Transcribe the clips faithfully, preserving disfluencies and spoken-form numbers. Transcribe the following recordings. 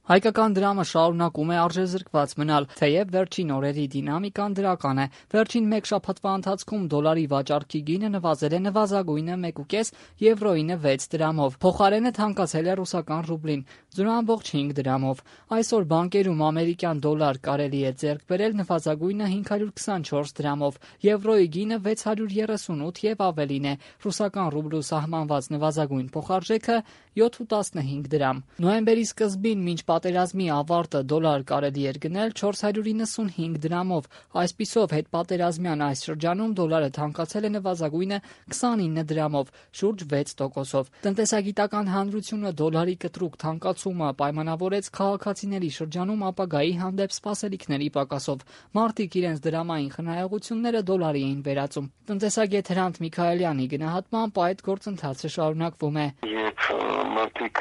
Հայկական դրամը շարունակում է արժեզրկված մնալ, թեև վերջին օրերի դինամիկան դրական է։ Վերջին մեկ շաբաթվա ընթացքում դոլարի վաճառքի գինը նվազել է նվազագույնը մեկ ու կես, եվրոինը վեց դրամով։ Փոխարենը թանկացել է ռուսական ռուբլին զրո կόμma հինգ դրամով։ Այսօր բանկերում ամերիկյան դոլար կարելի է ձեռք բերել նվազագույնը հինգ հարյուր քսանչորս դրամով, եվրոյի գինը վեց հարյուր երեսունութ եւ ավելին է։ Ռուսական ռուբլու սահմանված նվազագույն փոխարժեքը յոթ ու տասնհինգ դրամ։ Նոյեմբերի սկզբին մինչ պատերազմի ավարտը դոլար կարելի էր գնել չորս հարյուր իննսունհինգ դրամով։ Այսպիսով հետպատերազմյան այս շրջանում դոլարը թանկացել է նվազագույնը քսանինը դրամով, շուրջ վեց տոկոսով։ Տնտեսագիտական հանրությունը դոլարի կտրուկ թանկացումը պայմանավորեց քաղաքացիների շրջանում ապագայի հանդեպ սպասելիքների պակասով։ Մարդիկ իրենց դրամային խնայողությունները դոլարի էին վերածում։ Տնտեսագետ Հրանտ Միքայելյանի գնահատմամբ այդ գործընթացը շարունակվում է։ Երբ մարդիկ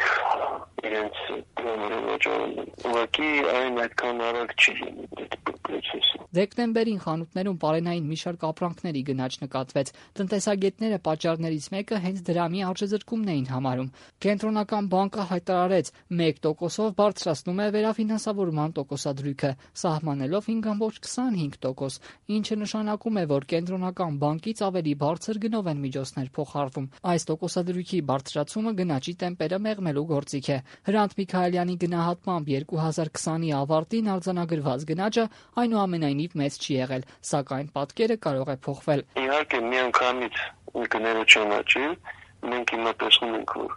իրենց դրամերը վաճառում են, ուղղակի այն այդքան արագ չի լինի այդ պրոցեսը։ Դեկտեմբերին խանութներում պարենային մի շարք ապրանքների գնաճ նկատվեց։ Տնտեսագետները պատճառներից մեկը հենց դրամի արժեզրկումն էին համարում։ Կենտրոնական բանկը հայտարարեց մեկ տոկոսով բարձրացնում է վերաֆինանսավորման տոկոսադրույքը, սահմանելով հինգ կόμma քսանհինգ տոկոս, ինչը նշանակում է, որ կենտրոնական բանկից ավելի բարձր գնով են միջոցներ փոխարվում։ Այս տոկոսադրույքի բարձրացումը գնաճի տեմպերը մեղմելու գործիք է։ Հրանտ Միքայելյանի գնահատմամբ երկու հազար քսանի ավարտին արձանագրված գնաճը այնուամենայնիվ մեծ չի եղել, սակայն պատկերը կարող է փոխվել։ Իհարկե միանգամից գները չեն աճել, մենք հիմա տեսնում ենք, որ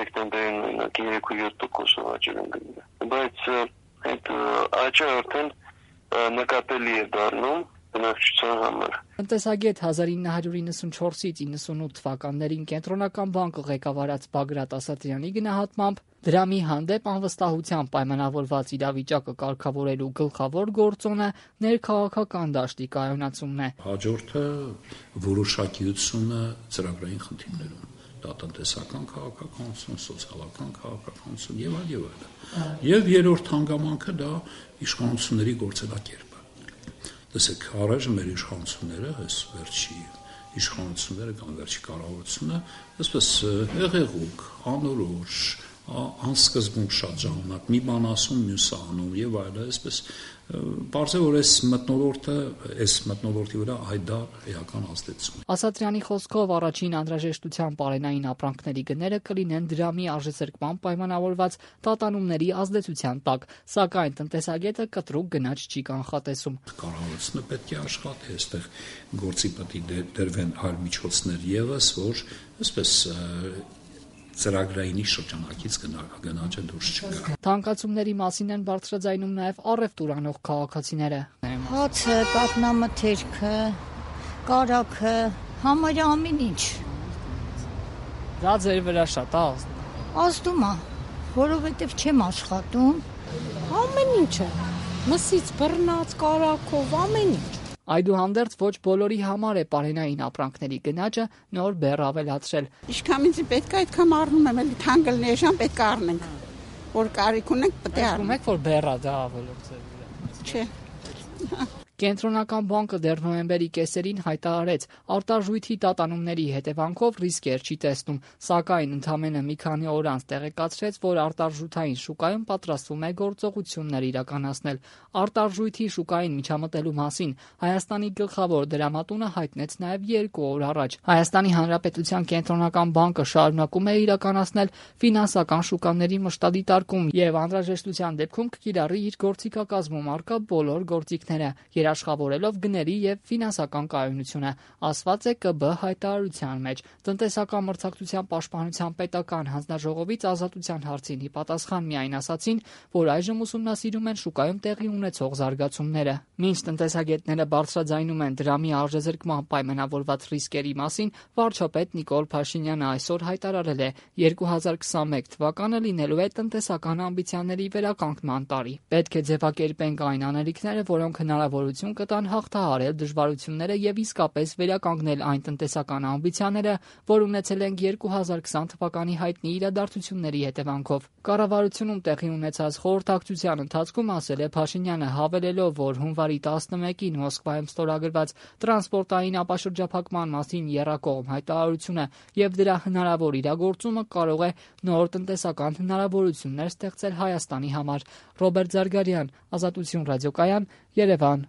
դեկտեմբերին մենակ երեք ու յոթ տոկոսով աճել են գները, բայց այդ աճը արդեն նկատելի է դառնում բնակչության համար։ Տնտեսագետ հազար ինը հարյուր իննսունչորսից իննսունութ թվականներին կենտրոնական բանկը ղեկավարած Բագրատ Ասատրյանի գնահատմամբ դրամի հանդեպ անվստահությամբ պայմանավորված իրավիճակը կարգավորելու գլխավոր գործոնը ներքաղաքական դաշտի կայունացումն է։ Հաջորդը որոշակիությունը ծրագրային խնդիրներում, դա տնտեսական քաղաքականություն, սոցիալական քաղաքականություն եւ այլ եւ այլ։ Եվ երրորդ հանգամանքը դա իշխանությունների գործելակերպը։ Տեսեք, առայժմ մեր իշխանությունները, այս վերջի իշխանությունները կամ վերջի կառավարությունը, այսպես հեղեղուկ, անորոշ, անսկզբունք շատ ժամանակ մի բան ասում, մյուսը անում եւ այլն, այսպես բարձր որ այս մթնոլորտը, այս մթնոլորտի վրա հայդար էական ազդեցություն։ Ասատրյանի խոսքով առաջին անհրաժեշտության պարենային ապրանքների գները կլինեն դրամի արժեզրկման պայմանավորված տատանումների ազդեցության տակ, սակայն տնտեսագետը կտրուկ գնաճ չի կանխատեսում։ Կառավարությունը պետք է աշխատի, այստեղ գործի պետք է դրվեն այլ միջոցներ եւս, որ այսպես ծրագրայինի շրջանակից գնաճը դուրս չգա։ Թանկացումների մասին են բարձրաձայնում նաև առևտուր անող քաղաքացիները։ Հացը, պատնամթերքը, կարագը, համարյա ամեն ինչ։ Դա ձեր վրա շատ է ազդում է, որովհետև չեմ աշխատում։ Ամեն ինչը, մսից բռնած, կարագով, ամեն ինչ։ Այդուհանդերձ ոչ բոլորի համար է պարենային ապրանքների գնաճը նոր բեռ ավելացրել։ Ինչքան ինձ պետք է այդքան առնում եմ, էլի թանկլ ներժան պետք է առնենք, որ կարիք ունենք պետք է առնենք։ Եք որ բեռա դա ավելացել։ Չէ։ Կենտրոնական բանկը դեռ նոյեմբերի կեսերին հայտարարեց արտարժույթի տատանումների հետևանքով ռիսկեր չի տեսնում, սակայն ընդամենը մի քանի օր անց տեղեկացրեց, որ արտարժութային շուկայում պատրաստվում է գործողություններ իրականացնել։ Արտարժույթի շուկային միջամտելու մասին Հայաստանի գլխավոր դրամատունը հայտնեց նաև երկու օր առաջ։ Հայաստանի Հանրապետության կենտրոնական բանկը շարունակում է իրականացնել ֆինանսական շուկաների մշտադիտարկում եւ անհրաժեշտության դեպքում կկիրառի իր գործիքակազմում առկա բոլոր գործիքները, երաշխավորելով գների եւ ֆինանսական կայունությունը, ասված է ԿԲ հայտարարության մեջ։ Տնտեսական մրցակցության պաշտպանության պետական հանձնաժողովից ազատության հարցին ի պատասխան միայն ասացին, որ այժմ ուսումնասիրում են շուկայում տեղի ունեցող զարգացումները։ Մինչ տնտեսագետները բարձրաձայնում են դրամի արժեզրկման պայմանավորված ռիսկերի մասին, վարչապետ Նիկոլ Փաշինյանը այսօր հայտարարել է երկու հազար քսանմեկ թվականը լինելու է տնտեսական ամբիցիաների վերականգնման տարի։ Պետք է ձևակերպենք այն անելիքները, որոնք հնարավորություն հաջողություն կտան հաղթահարել դժվարությունները եւ իսկապես վերականգնել այն տնտեսական ամբիցիաները, որ ունեցել ենք երկու հազար քսան թվականի հայտնի իրադարձությունների հետևանքով։ Կառավարությունում տեղի ունեցած խորհրդակցության ընթացքում ասել է Փաշինյանը, հավելելով, որ հունվարի տասնմեկին Մոսկվայում ստորագրված տրանսպորտային ապաշրջափակման մասին եռակողմ հայտարարությունը եւ դրա հնարավոր իրագործումը կարող է նոր տնտեսական հնարավորություններ ստեղծել Հայաստանի համար։ Ռոբերտ Զարգարյան, Ազատություն ռադիոկայան, Երևան։